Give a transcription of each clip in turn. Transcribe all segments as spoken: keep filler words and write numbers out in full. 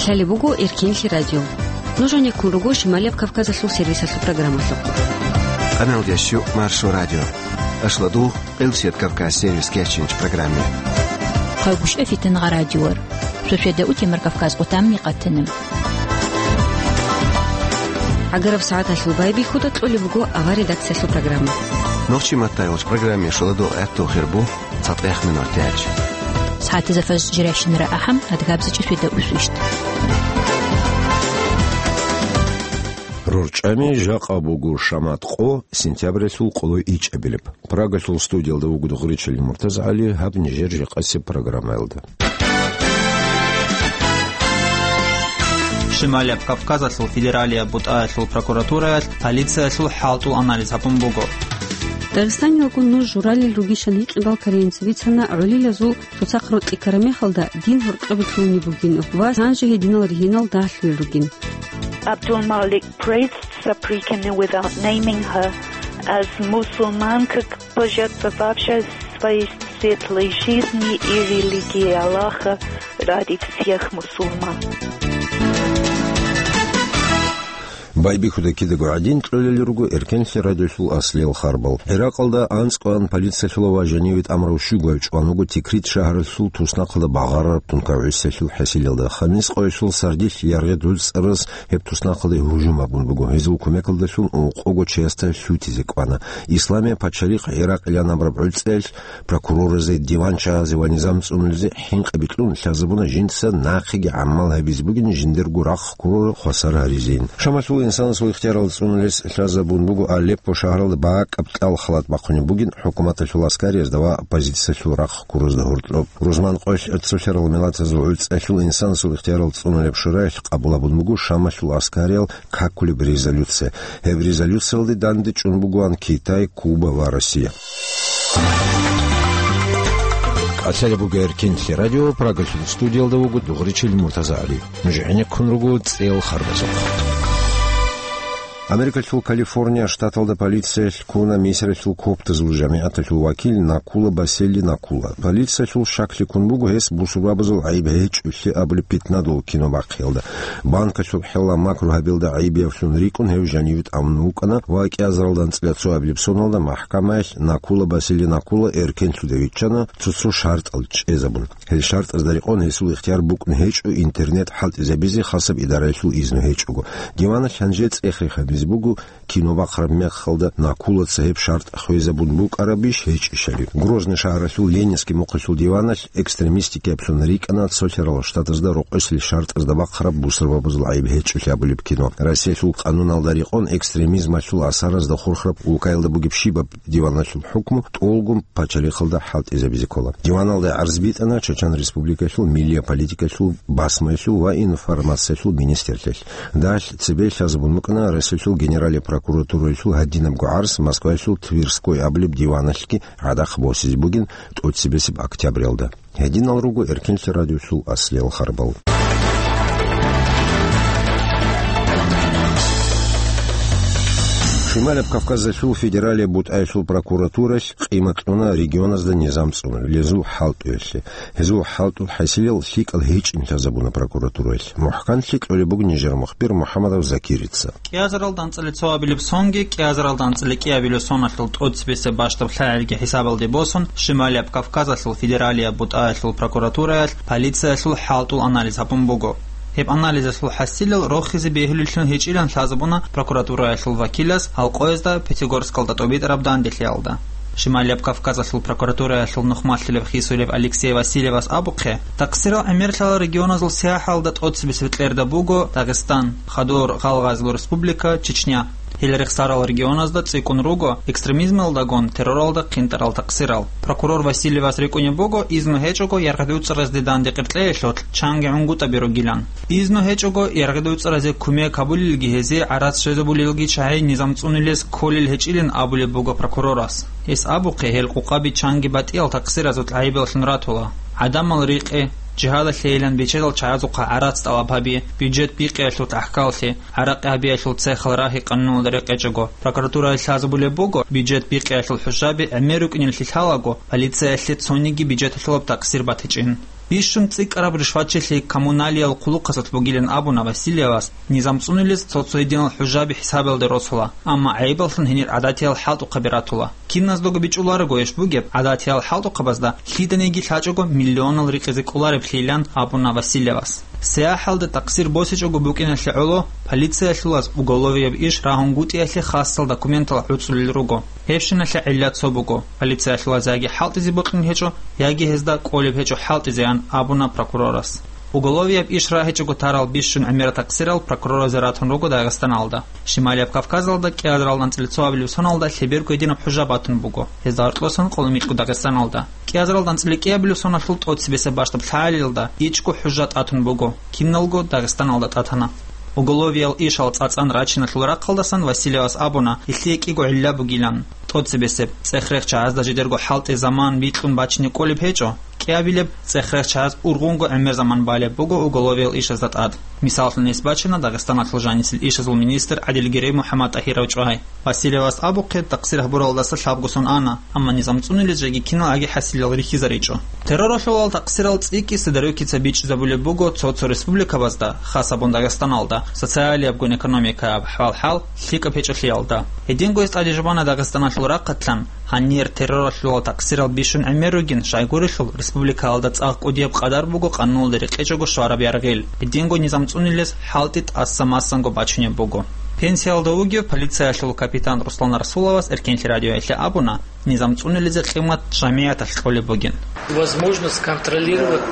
Лъалеб буго Эркенлъи радио. Нуж гьанеккун руго Шималияб Кавказалъул сервисалъул программалъухъ. Къаналдиясчу Маршо радио. Ашладу, Къилсият Кавказ сервис кечинч программе. Хъалгушев Фитнагъа радиор. Шошеда утемар Кавказ къутамни къатана. ГӀагараб сагӀаталъул байбихьуда кьолеб буго авар редакциялъул программа. Нохчи маттайолч программе шоладо гӀатту хирбу. Цадахъ минор тяч. СагӀатизе фаж жиращинара ахӀам, адгабзичӀи свида усвищт. РорчӀами жакъа буго шамат къо, сентябрялъул къоло ичӀабилеб. Прагалъул студиялда вуго Дугъричилин МуртазагӀали, гьаб нижер жакъасеб программаялда. Шималияб Кавказалъул федералияб бутӀаялъул прокуратураялъ полициялъул хӀалтӀул анализ гьабун буго. Дагъистаниялгун нуж журалил ругищан гьикъи балкарейинца бицана гӀолилазул цоцахъ рокьи ккараб мехалда дин гьоркьобе лъугьунеб бугин ва гьанже гьединал ригьинал дагьлъуел ругин. Abdul Malik praised Saprikani without naming her as Musulmanka, пожертвовавшая свои светлые жизни и религии Аллаха ради всех мусульман. Байбихьуда кидаго гӀадин кьолел руго Эркенлъи радиолъул аслиял харбал. ГӀиракъалда анцӀкъоян полициялъула ва жаниве тӀамурав щугояв чӀван вуго Тикрит шагьаралъул туснахъалда багъарараб тункав гӀисалъул хӀасилалда. Хамискъоялъул сардилъ яргъи гӀуцӀараз гьеб туснахъалде гьужум гьабун буго. Гьезул кумекалдалъун ункъого чиясда лъутизе кӀвана. Исламия пачалихъ ГӀиракъилан абураб гӀуцӀиялъ прокурорразе, диванчагьазе ва низам цӀунулезе хӀинкъи бикьун лъазабуна жинца нахъеги гӀамал гьабизе бугин жиндирго рахъ ккурал хвасар гьаризейин. Шамалъул инсанасул ихтиярал цӀунулес лъазабун буго Алеппо шагьаралда бакӀаб кьал халат бахъунеб бугин хӀукуматалъул аскариязда ва оппозициялъул рахъ ккуразда гьоркьоб. Рузман къоялъ цолъарал миллатазул гӀуцӀиялъул инсанасул ихтиярал цӀунулеб шураялъ къабул гьабун буго Шамалъул аскариял какулеб резолюция. Гьеб резолюциялде дандечӀун бугоан Китай, Куба ва Россия. КӀалъалеб буго Эркенлъи радио, Прагалъул студиялда вуго Дугъричил МуртазагӀали. Нуж гӀенеккун руго цӀел харбазухъ. Америкалъул Калифорния штаталда полициялъ ккуна Мисралъул коптазул жамигӀаталъул вакил Накула Басели Накула. Полициялъул щаклъи ккун буго гьес бусурбабазул гӀайиб гьечӀолъи абулеб питнадул кино бахъиялда. Банкалъул хӀелалъ макру гьабиялда гӀайибиявлъун рикӀкӀун гьев жаниве тӀамун вукӀана ва кӀиазаралда анцӀила цоабилеб соналда махӀкамаялъ Накула Басели Накула эркенлъуда виччана, цо-цо шартӀал чӀезабун. Гьел шартӀазда рекъон гьесул ихтияр букӀун гьечӀо интернет хӀалтӀизабизе хасаб идараялъул изну гьечӀого. Диваналъ гьанже цӀех-рех гьабизе буго кино бахъараб мехалда Накулаца гьеб шартӀ хвезабун букӀарабищ гьечӀищали. Грозный шагьаралъул Ленинский мухъалъул диваналъ экстремистикаблъун рикӀкӀана цолъарал штатазда рокъоселъ шартӀазда бахъараб бусурбабазул гӀайиб гьечӀолъи абулеб кино. Россиялъул къануналда рекъон экстремизмалъул асаразда хурхараб улкаялда бугеб щибаб диваналъул хӀукму тӀолгун пачалихъалда хӀалтӀизабизе ккола. Диваналда гӀарз битӀана Чечен Республикалъул миллия политикалъул, басмаялъул ва информациялъул министрлъиялъ. Дагьалъ цебе лъазабун букӀана Россиялъул Генералия прокуратуралъул гьадинабго гӀарз Москваялъул Тверской абулеб диваналъги гӀадахъ босизе бугин тӀоцебесеб октябрялда. Гьединал руго Эркенлъи радиолъул аслиял харбал. Шималаб Кавказалъул федералияб бутӀаялъул прокуратуралъ къимат кьуна регионазда низам цӀунулел гьезул хӀалтӀуялъе. Гьезул хӀалтӀул хӀасилал лъикӀал гьечӀин лъазабуна прокуратураялъ. МухӀканлъи кьолеб буго нижер мухбир МухӀамадов Закирица. КӀиазаралда анцӀила цоабилеб сонги кӀиазаралда анцӀила кӀиабилеб соналъул тӀоцебесеб бащдаб лъагӀелги хӀисабалде босун, Шималияб Кавказалъул федералияб бутӀаялъул прокуратураялъ полициялъул хӀалтӀул анализ гьабун буго. Гьеб анализалъул хӀасилал рохизе бегьулеллъун гьечӀилан лъазабуна прокуратураялъул вакилас гьал къоязда Пятигорскалда тӀобитӀараб данделъиялда. Шималияб Кавказалъул прокуратураялъул нухмалъилеб хисулеб Алексей Васильевас абухъе, такъсирал гӀемерлъарал регионазул сияхӀалда тӀоцебесеб кьерда буго Дагъистан, Хадур, Гъалгъазул Республика, Чечня. Гьел рехсарал регионазда цӀикӀкӀун руго экстремизмалдагун терроралда хъинтӀарал такъсирал. Прокурор Васильевас рикӀкӀунеб буго изну гьечӀого яргъи-дуцӀаразде данде къеркьеялъулъ чанги гӀунгутӀаби ругилан. Изну гьечӀого яргъи-дуцӀаразе кумек гьабулелги гьезие гӀарац щвезабулелги чагӀи низам цӀунулес кколел гьечӀилин абулеб буго прокурорас. Гьес абухъе, гьел къукъаби чанги батӀиял такъсиразул гӀайибаллъун ратула. ГӀадамал рикъи, жигьадалъейилан бечедал чагӀазухъа гӀарац тӀалаб гьаби, бюджет бикъиялъул тӀахькаллъи, гӀаракъи гьабиялъул цехал рагьи къануналда рекъечӀого, прокуратуралъ лъазабулеб буго, бюджет бикъиялъул хӀушаби гӀемер рукӀинеллъи лъалаго, полициялъе цониги бюджеталъулаб такъсир батичӀин. Бищун цӀикӀкӀараб ришватчилъи коммуналиял хъулухъасулъ бугилан абуна Васильевас, низам цӀунилез цо-цо гьединал хӀужаби хӀисабиялда росула, амма гӀайибаллъун гьенир гӀадатиял хӀалтӀухъаби ратула. Киназдаго бичӀчӀуларого гьеб бугеб, гӀадатиял хӀалтӀухъабазда лъиданиги лъачӀого миллионал рикъизе кӀолареблъилан абуна Васильевас. СаяхӀалда такъсир босичӀого букӀиналъе гӀоло полициялъулаз уголовияб иш рагьунгутӀиялъе хасал документал гӀуцӀулел руго. Гьебщиналъе гӀилла цо буго: полициялъулаз яги хӀалтӀизе бокьун гьечӀо, яги гьезда кӀолеб гьечӀо хӀалтӀизеян абуна прокурорас. Уголовияб иш рагьичӀого тарал бищун гӀемерал такъсирал прокуроразе ратун руго Дагъистаналда. Шималияб Кавказалда кӀиазаралда анцӀила цо абилеб соналда лъеберго гьединаб хӀужа батун буго, гьезда гьоркьосан къоло микьго Дагъистаналда. КӀиазаралда анцӀила кӀиабилеб соналъул тӀоцебесеб бащдаб лъагӀалиялда ичӀго хӀужа тӀатун буго, киналго Дагъистаналда тӀатана. Уголовиял ишал цӀацӀан рачиналъул рахъалдасан Васильевас абуна, гьелъие кӀиго гӀилла бугилан. ТӀоцебесеб, цӀех-рех чагӀазда жидерго хӀалтӀи заман бикьун бачине кӀолеб гьечӀо. КӀиабилеб, цӀех-рех чагӀаз ургъунго гӀемер заман балеб буго уголовиял ишазда тӀад. Мисаллъун гьес бачана Дагъистаналъул жанисел ишазул министр ГӀадилгерей МухӀаммад-ТӀагьиров чӀвай. Васильевас абухъе, такъсир гьабуралдаса лъабго сон ана, амма низам цӀунилез жеги кинал аги хӀасилал рихьизаричӀо. Терроралъулал такъсирал цӀикӀкӀи Сидорукица бичӀчӀизабулеб буго цо-цо республикабазда, хас абун Дагъистаналда, социалиябгун экономикаяб хӀал-хӀал лъикӀаб гьечӀолъиялда. Гьединго гьес тӀадежубана Дагъистаналъул рахъалъан, гьанир терроралъулал такъсирал бищун гӀемер ругин, щайгурелъул республикаялда цӀакъ кӀудияб къадар буго къануналда рекъечӀого щвараб яргъил, гьединго низам цӀунилез хӀалтӀи тӀаса-масанго бачунеб буго. Пенсиялда вугев полициялъул капитан Руслан Расуловас Эркенлъи радиоялъе абуна, низам цӀунилезе къимат жамигӀаталъ кьолеб бугин. Возможность контролировать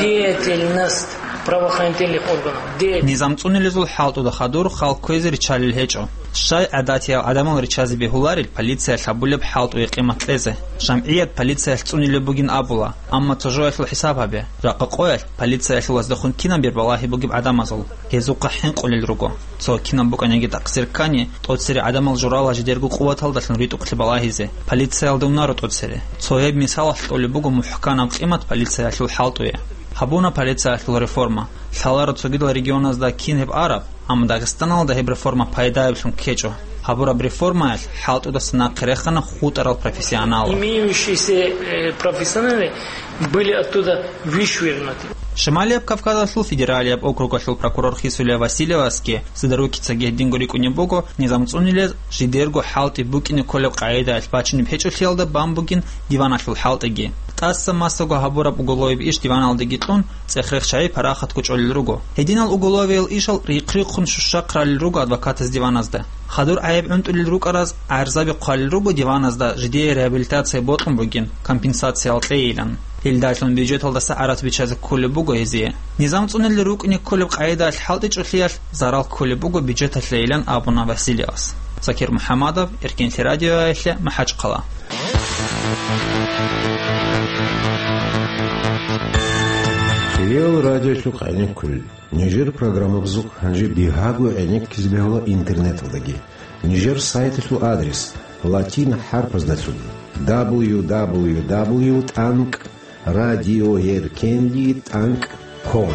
деятельность правоохранительных органов. Деятельность. Низам цӀунилезул хӀалтӀуда хадур халкъ кквезе риччалел гьечӀо. Щай гӀадатиял гӀадамал риччазе бегьуларел полициялъ гьабулеб хӀалтӀуе къимат кьезе? ЖамгӀият полициялъ цӀунилеб бугин абула, амма цо жоялъул хӀисаб гьабе. Ракъа къоялъ полициялъулаздехун кинаб бер балагьи бугеб гӀадамазул? Гьезухъа хӀинкъулел руго. Цо кинаб букӀаниги такъсир ккани, тӀоцере гӀадамал журала жидерго къуваталдалъун ритӀухълъи балагьизе. Полициялда унаро тӀоцере. Цо гьеб мисалалъ кьолеб буго мухӀканаб къимат полициялъул хӀалтӀуе. Гьабуна полициялъул реформа. Лъаларо цогидал регионазда кин гьеб араб, амма Дагъистаналда гьеб реформа пайдаялъун ккечӀо. Гьабураб реформаялъ хӀалтӀудаса нахъе рехана хутӀарал профессионалал. Имеющиеся, э, профессионалы были оттуда вышвырнуты. Шималияб Кавказалъул федералияб округалъул прокурор Хисулия Васильевасги Сидорукицаги гьединго рикӀкӀунеб буго, низам цӀунилез жидерго хӀалтӀи букӀине кколеб къагӀидаялъ бачунеб гьечӀолъиялда бан бугин диваналъул хӀалтӀиги. ТӀаса-масаго гьабураб уголовияб иш диваналдаги кьун, цӀех-рех чагӀи парахатго чӀолел руго. Гьединал уголовиял ишал рихъ-рихъун щущахъ ралел руго адвокатаз диваназда. Хадур гӀайиб гӀунтӀулел рукӀараз гӀарзаби хъвалел руго диваназда жидее реабилитация бокьун бугин, компенсациял кьейилан. Гьелдалъун бюджеталдаса гӀарац биччазе кколеб буго гьезие. Низам цӀунилел рукӀине кколеб къагӀидаялъ хӀалтӀичӀолъиялъ зарал кколеб буго бюджеталъейилан абуна Васильевас. Закир МухӀаммадов, Эркенлъи радиоялъе, МахӀачхъала. Кирил радиолъухъ гӀенеккулел. Нижер программабазухъ гьанже бигьаго гӀенеккизе бегьула интернеталдаги. Нижер сайталъул адрес латин хӀарпаздалъун: дабл ю дабл ю дабл ю тӀанкӀ радиоеркенлъи тӀанкӀ ком.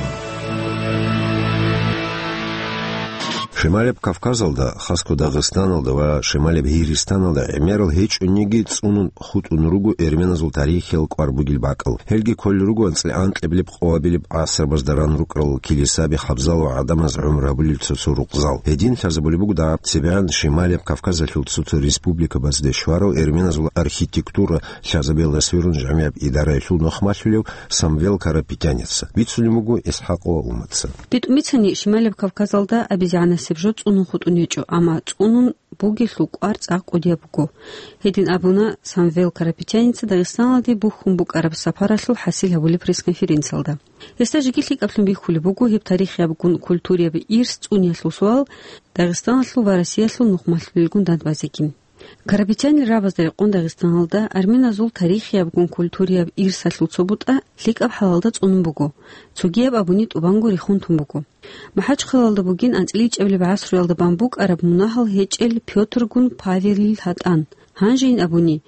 Шималеб Кавказалда, хасго Дагъистаналда ва Шималеб Гьигьристаналда гӀемерал гьечӀониги цӀунун хутӀун руго эрменазул тарихиял кӀвар бугел бакӀал. Гьелги кколел руго анцӀила анкьабилеб-къоабилеб гӀасрабазда ран рукӀарал килисаби, хабзал ва гӀадамаз гӀумру гьабулел цо-цо рукъзал. Гьедин лъазабулеб буго дагьаб цебегӀан Шималияб Кавказалъул цо-цо республикабазде щварав эрменазул архитектура лъазабиялда сверун жамигӀаб идараялъул нухмалъулев Самвел Карапетяница. Бицунеб буго ИсхӀакъова Умаца. БитӀун бицани, Шималияб Кавказалда абизегӀанасеб жо цӀунун хутӀун гьечӀо, амма цӀунун бугелъул кӀвар цӀакъ кӀудияб буго. Гьедин абуна Самвел Карапетяница Дагъистаналде бухьун букӀараб сапаралъул хӀасил гьабулеб пресс-конференциялда. Гьесда жеги лъикӀаблъун бихьулеб буго гьеб тарихиябгун культурияб ирс цӀуниялъул суал Дагъистаналъул ва Россиялъул нухмалъулелгун дандбазеги. Карапетянил рабазда рекъон Дагъистаналда арменазул тарихиябгун культурияб ирсалъул цо бутӀа лъикӀаб хӀалалда цӀунун буго, цогияб абуни тӀубанго рехун тун буго. МахӀачхъалалда бугин анцӀила ичӀабилеб гӀасруялда бан букӀараб мунагьал гьечӀел Пётргун Павелил гьатӀан. Гьанжейин абуни,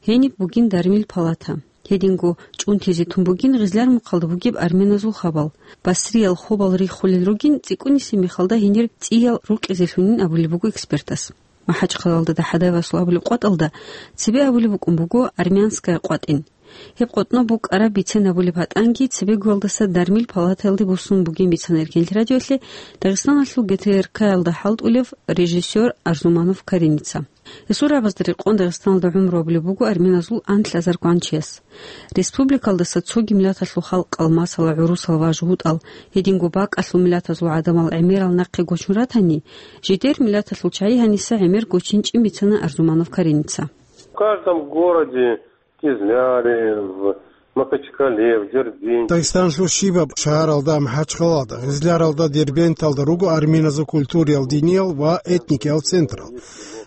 гьениб бугин дармил палата. Гьединго чӀунтизе тун бугин Гъизлярмухъалда бугеб арменазул хабал. Басриял хобал риххулел ругин цӀикӀкӀунисеб мехалда гьенир цӀиял рукъизелъунин абулеб буго экспертас. МахӀачхъалалда ДахӀадаевасул абулеб къватӀалда цебе абулеб букӀун буго Армянская къватӀин. Гьеб къотӀноб букӀараб бицен абулеб гьатӀанги цебегоялдаса дармил палатаялде босун бугин бицана Эркенлъи радиолъе Дагъистаналъул ГТРК-ялда хӀалтӀулев режиссер Арзуманов Кареница. Гьесул рагӀабазда рекъон Дагъистаналда гӀумру гьабулеб буго армяназул анлъазар гванчияс. Республикалдаса цоги миллаталъул халкъал, масала, гӀурусал ва жугьутӀал, гьединго бакӀалъул миллатазул гӀадамал гӀемерал нахъе гочун ратани, жидер миллаталъул чагӀи гьаниса гӀемер гочинчӀин бицана Арзуманов Кареница. В каждом городе, Кизляре, в Махачкале, в Дербенте. Дагъистанлъул щибаб шагьаралда, МахӀачхъалалда, Гъизляралда, Дербенталда руго армяназул культуриял, диниял ва этникиял централ.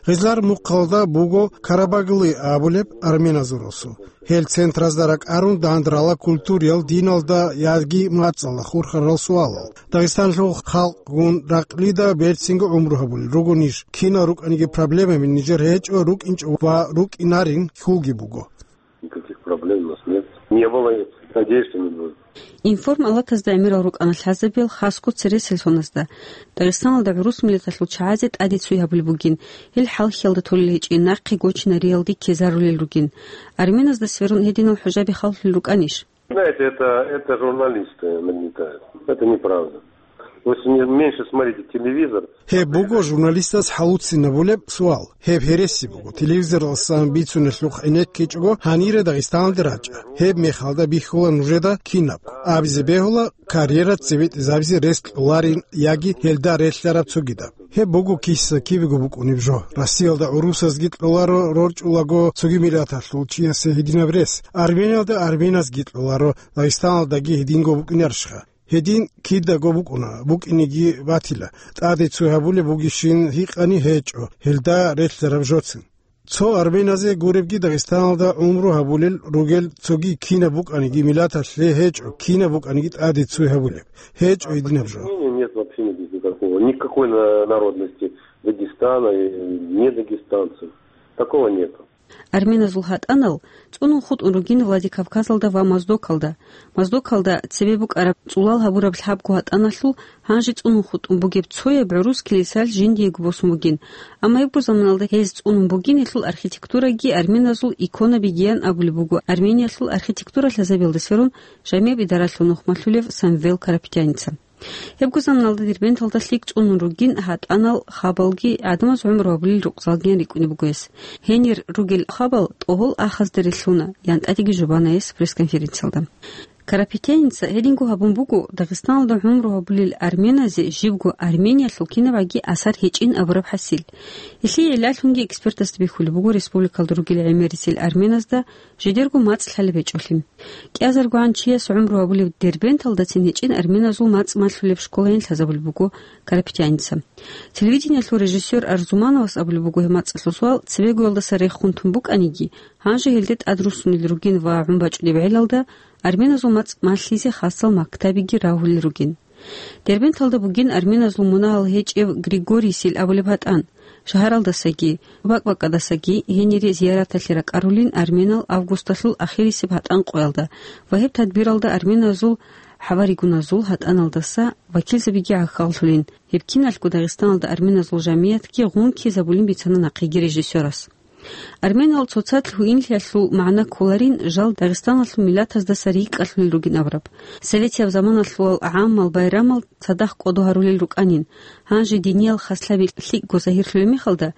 Гъизлар мухъалда буго Карабаглы абулеб армяназул росу. Гьел центразда ракӀарун дандрала культуриял, диналда яги мацӀалда хурхарал суалал. Дагъистанлъул халкъгун ракълида берцинго гӀумру гьабулел руго ниж. Кинал рукӀаниги проблемаби нижер гьечӀо, рукӀинчӀо ва рукӀинарин хьулги буго. Никаких проблем у нас нет. Не было, надеюсь, что не будет. Информ-алатазда гӀемерал рукӀана лъазабиял хасго цересел соназда. Дагъистаналда гӀурус миллаталъул чагӀазе тӀаде цой гьабулеб бугин, гьел хӀалхьиялда толел гьечӀин, нахъе гочинариялде ккезарулел ругин. Армяназда сверун гьединал хӀужаби халлъулел рукӀанищ? Знаете, это, это журналисты нагнетают. Это неправда. Вы с-, не-, меньше смотрите телевизор. Гьеб буго журналистас хӀалуцинабулеб суал. Гьеб гьереси буго. Телевизоралдасан бицунелъухъ гӀенеккичӀого гьанире Дагъистаналде рачӀа. Гьеб мехалда бихьула нужеда кинабго. Абизе бегьула, карьера цебетӀезабизе рес кьоларин яги гьелда релълъараб цогидаб. Гьеб буго киса-кибего букӀунеб жо. Россиялда гӀурусазги кьоларо рорчӀулаго цоги миллаталъул чиясе гьединаб рес. Армениялда армяназги кьоларо, Дагъистаналдаги гьединго букӀинарищха? Гьедин кидаго букӀуна, букӀинеги батила. ТӀаде цо гьабулеб бугищин гьикъани гьечӀо, гьелда релълъараб жоцин. Цо армяназе гуребги Дагъистаналда гӀумру гьабулел ругел цоги кинаб букӀаниги миллаталъе гьечӀо, кинаб букӀаниги тӀаде цо гьабулеб. ГьечӀо гьединаб жо. Нет, вообще нет никакого. Никакой на-, народности Дагестана, и не дагестанцев. Такого нету. Армяназул гьатӀанал цӀунун хутӀун ругин Владикавказалда ва Моздокалда. Моздокалда цебе букӀараб цӀулал гьабураб лъабго гьатӀаналъул гьанже цӀунун хутӀун бугеб цояб гӀурус килисал жиндиего босун бугин. Амма гьебго заманалда гьез цӀунун бугин, гьелъул архитектураги армяназул иконабигиян абулеб буго Армениялъул архитектура лъазабиялда сверун жамияб идаралъул нухмалъулев Самвел Карапетяница. Гьебго заманалда Дербенталда лъикӀ цӀунун ругин гьатӀанал, хабалги, гӀадамаз гӀумру гьабулел рукъзалгиян рикӀкӀунеб буго гьес. Гьенир ругел хабал тӀогьол ахазде релълъуна, ян тӀадеги жубана гьес пресс-конференциялда. Карапетяница гьединго гьабун буго Дагъистаналда гӀумру гьабулел армяназе жибго Армениялъул кинабгӀаги асар гьечӀин абураб хӀасил. Гьелъие гӀиллалъунги экспертазда бихьулеб буго республикалда ругел гӀемерисел армяназда жидерго мацӀ лъалеб гьечӀолъи. КӀиазаргогӀан чияс гӀумру гьабулеб Дербенталдацин гьечӀин армяназул мацӀ малъулеб школайин лъазабулеб буго Карапетяница. Телевидениялъул режиссер Арзумановас абулеб буго гьеб мацӀалъул суал цебегоялдаса рехун тун букӀаниги, гьанже гьелде тӀад руссунел ругин ва гӀун бачӀунеб гӀелалда армяназул мацӀ малъизе хасал мактабиги рагьулел ругин. Дербенталда бугин армяназул мунагьал гьечӀев Григорийсил абулеб гьатӀан. Шагьаралдасаги, бакӀ-бакӀадасаги гьенире зияраталъе ракӀарулин армянал августалъул ахирисеб гьатӀан къоялда ва гьеб тадбиралда армяназул хӀаваригуназул гьатӀаналдаса вакилзабиги гӀахьаллъулин, гьеб киналъго Дагъистаналда армяназул жамиятги гъун ккезабулин бицана нахъеги режиссерас. Армянал цоцазда гьуинлъиялъул магӀна кколарин жал Дагъистаналъул миллатаздаса рикӀкӀалъулел ругин абураб. Советияб заманалъулал гӀаммал байрамал цадахъ кӀодо гьарулел рукӀанин, гьанже диниял хаслъаби лъикӀго загьирлъулеб мехалда,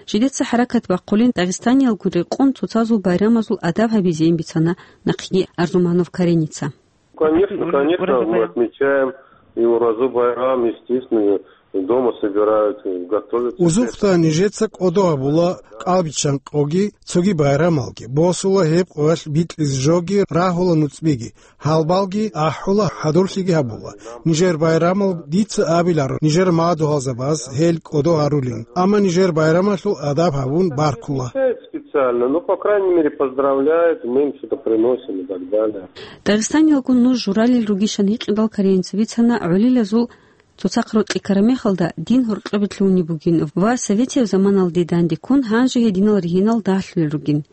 жидеца хӀаракат бахъулин Дагъистаниялгун рекъон цоцазул байрамазул адаб гьабизейин бицана нахъеги Арзуманов Кареница. Конечно, конечно, мы отмечаем и Уразу байрам, естественно, дома собирают, готовятся. Узухъда нижеца кӀодо гьабула кӀалбиччан къоги, цоги байрамалги, босула гьеб къоялъ бикьизе жоги, рагьула нуцӀбиги, гьалбалги ахӀула, хӀадурлъиги гьабула. Нижер байрамал дица абиларо, нижер мадугьалзабаз гьел кӀодо гьарулин, амма нижер байрамалъул адаб гьабун баркула. Специально, ну, по крайней мере, поздравляют, мы им что-то приносим и так далее. Дагъистаниялгун нуж журалил ругищан гьикъидал Кареница бицана гӀолилазул Цоцахъ рокьи ккараб мехалда дин гьоркьобе лъугьунеб бугин ва советияб заманалде дандеккун гьанже гьединал ригьинал дагьлъулел ругин.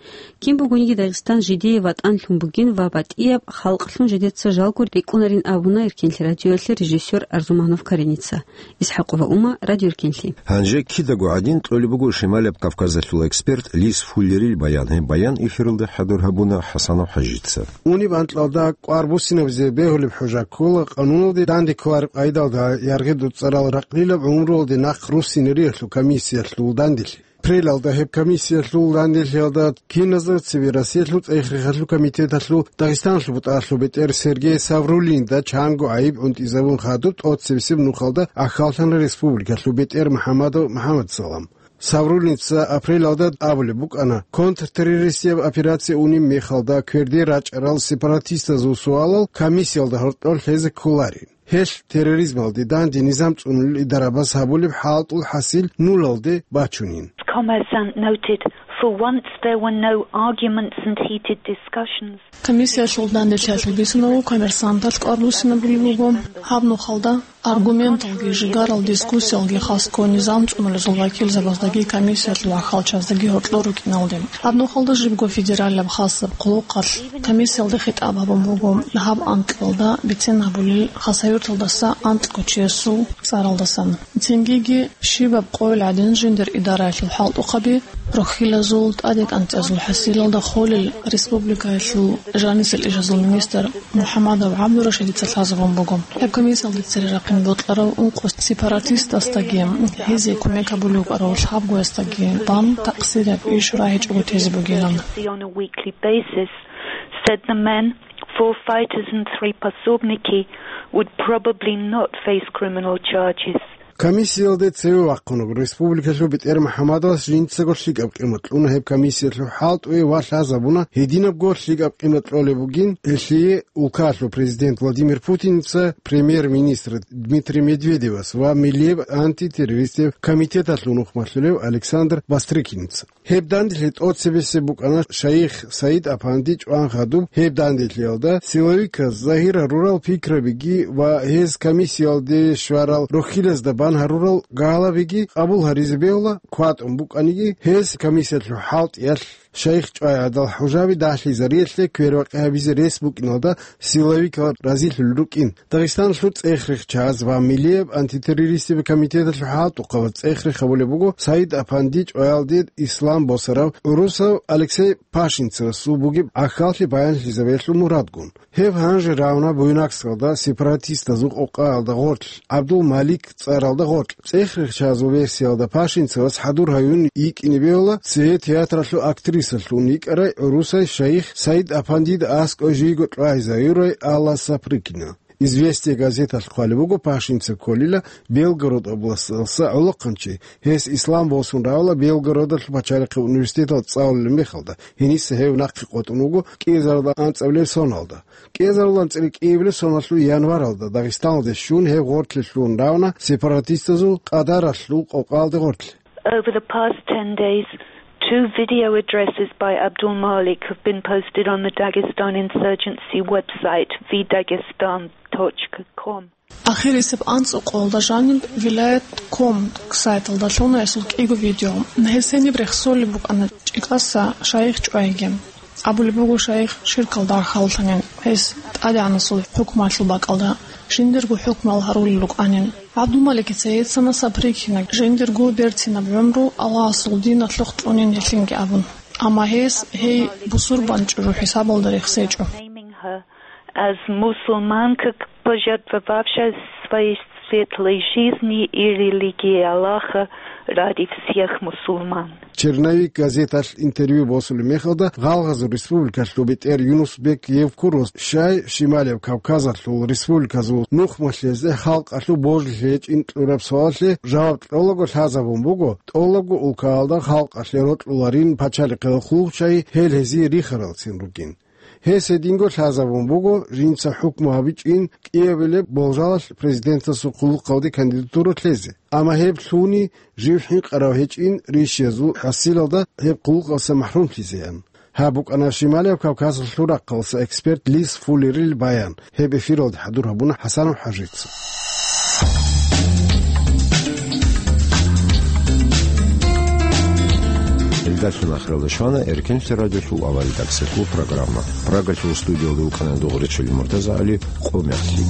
Кин бугониги Дагъистан жидее ватӀан лъун бугин ва батӀияб халкълъун жидеца жалго рикӀкӀунарин абуна Эркенлъи радиоялъе режиссер Арзуманов Кареница. Исхьакъова Ума, Радио Эркенлъи. Гьанже кидаго гӀадин кьолеб буго Шималияб Кавказалъул эксперт Лис Фуллерил баян. Гьеб баян эфиралда хӀадур гьабуна ХӀасанов ХӀажица. Униб анкьалда кӀвар буссинабизе бегьулеб хӀужа ккола къануналде данде кколареб къайдалда яргъи-дуцӀарал ракълилаб гӀумруялде нахъ руссинариялъул комиссиялъул данделъи. Апрелалда гьеб комиссиялъул данделъиялда киназда цебе Россиялъул цӀех-рехалъул комитеталъул Дагъистаналъул бутӀаралъул бетӀер Сергей Савруллинда чанго гӀайиб гӀунтӀизабун хадуб тӀоцебесеб нухалда ахьаллъана республикалъул бетӀер МухӀамадов МухӀамадсалам. Савруллинца апрелалда абулеб букӀана, контртеррористияб операция унеб мехалда кверде рачӀарал сепаратистазул суалал комиссиялда гьоркьор лъезе кколарин. Гьелъ терроризмалде данде низам цӀунулел идарабаз гьабулеб хӀалтӀул хӀасил нулалде бачунин. Commerçant noted, for once there were no arguments and heated discussions. Комиссиялъул данделъиялъул бицунеб буго, Коммерсанталъ кӀвар буссинабулеб буго. Гьаб нухалда аргументалги, жигарал дискуссиялги хасго низам цӀунулезул вакилзабаздаги комиссиялъул ахьалчаздаги гьоркьор рукӀиналде. Гьаб нухалда жибго федералияб хасаб хъулухъалъ комиссиялда хитӀаб гьабун буго гьаб анкьалда бицен гьабулел Хасавюрталдаса анкьго чиясул цӀаралдасан. Цингиги щибаб къойил гӀадин жиндир идараялъул хӀалтӀухъаби, рохьилазул, тӀаде кӀанцӀазул хӀасилалда холел республикаялъул жанисел ишазул министр МухӀамадов ГӀабдурашидица лъазабун буго. Гьеб комиссиялде цере рахъин бокьарав ункъо сепаратистасдаги, гьезие кумек гьабулев вукӀарав лъабгоясдаги бан такъсирияб иш рагьичӀого тезе бугилан. On a weekly basis, said the men, four fighters and three пособники, would probably not face criminal charges. Комиссиялде цеве вахъунеб республикалъул бетӀер МухӀамадовас жинцаго лъикӀаб къимат кьуна гьеб комиссиялъул хӀалтӀуе ва лъазабуна гьединабго лъикӀаб къимат кьолеб бугин гьелъие улкаялъул президент Владимир Путинница, премьер-министр Дмитрий Медведевас ва Миллияб антитеррористияб комитеталъул нухмалъулев Александр Бастрыкинница. Гьеб данделъи тӀоцебесеб букӀана шайих Саид Апанди чӀван хадуб. Гьеб данделъиялда силовиказ загьир гьарурал пикрабиги ва гьез комиссиялде щварал рохьилазда бан гьарурал галабиги къабул гьаризе бегьула, кватӀун букӀаниги, гьез комиссиялъул хӀалтӀиялъ шайих чӀвай гӀадал хӀужаби дагьлъизариялъе квербакъи гьабизе рес букӀиналда силовикал разилъулел рукӀин. Дагъистаналъул цӀех-рехчаз ва Миллияб антитеррористияб комитеталъул хӀалтӀухъабаз цӀех-рех гьабулеб буго Саид Апанди чӀваялде ислам босарав гӀурусав Алексей Пашинцевасул бугеб гӀахьаллъи баянлъизабиялъул мурадгун. Гьев гьанже равна Буйнакскалда сепаратистазул къокъаялда гъорлъ ГӀабдул-Малик цӀаралда гъорлъ. ЦӀех-рехчазул версиялда Пашинцевас хӀадур гьаюн йикӀине бегьула цее театралъул актрисалъун йикӀарай гӀурусай шайих Саид Апандида аскӀой жийго чӀвайзе гьаюрай Алла Сапрыкина. «Известия» газеталъ хъвалеб буго, Пашинцев кколила Белгород областалъа гӀолохъанчи, гьес ислам босун равала Белгородалъул пачалихъе университеталда цӀалулеб мехалда, гьениса гьев нахъе къотӀун вуго кӀиазарилан анцӀабилеб соналда. КӀиазарилан анцӀила кӀиабилеб соналъул январалда Дагъистаналде щун гьев гъорлъе лъугьун равна сепаратистазул Къадаралъул къокъалде гъорлъ. Over the past ten days, two video addresses by Abdul Malik have been posted on the Dagestan insurgency website, v dagestan точка ком. Ахирисеб анцӀукъалда жаниб вилаят ком сайталда лъуна гьесул кӀиго видео. Гьес гьениб рехсолеб букӀана ЧӀикӀаса шайих чӀвайги. Абулеб буго, шайих ширкалда рахьаллъанин, гьес ТӀадегӀанасул хӀукмалъул бакӀалда жиндирго хӀукмал гьарулел рукӀанин. ГӀабдулмаликица гьецана Сапрыкина жиндирго берцинаб гӀумру Аллагьасул диналъухъ цӀунин гьелъинги абун. Амма гьес гьей бусурбанчӀужу хӀисабалда рехсечӀо. Naming her as мусульманка, пожертвовавшая своей светлой жизни и религией Аллаха ради всех мусульман. «Черновик» газеталъ интервью босулеб мехалда, Гъалгъазул республикалъул бетӀер Юнус-бек Евкуров щай Шималияб Кавказалъул республиказул нухмалъезе халкъалъул божулъи гьечӀин кьураб суалалъе жаваб кьолаго лъазабун буго, тӀолабго улкаялда халкъалъе рокьуларин пачалихъе хъулухъчагьи гьел гьезие рихаралцин ругин. Гьес гьединго лъазабун буго жинца хӀукму гьабичӀин кӀиабилеб болжалалъ президентасул хъулухъалде кандидатура лъезе. Амма гьеб лъугьуни жив хӀинкъарав гьечӀин ришиязул хӀасилалда гьеб хъулухъалдаса махӀрумлъизеян. Гьаб букӀана Шималияб Кавказалъул рахъалъа эксперт Лис Фуллерил баян. Гьеб эфиралде хӀадур гьабуна ХӀасанов ХӀажица. Далъун ахиралда щвана Эркенлъи радиолъул авария таксилъул программа. Прагалъул студиялда вукӀана Дугъричил Муртаза ГӀали, къо мехлъи.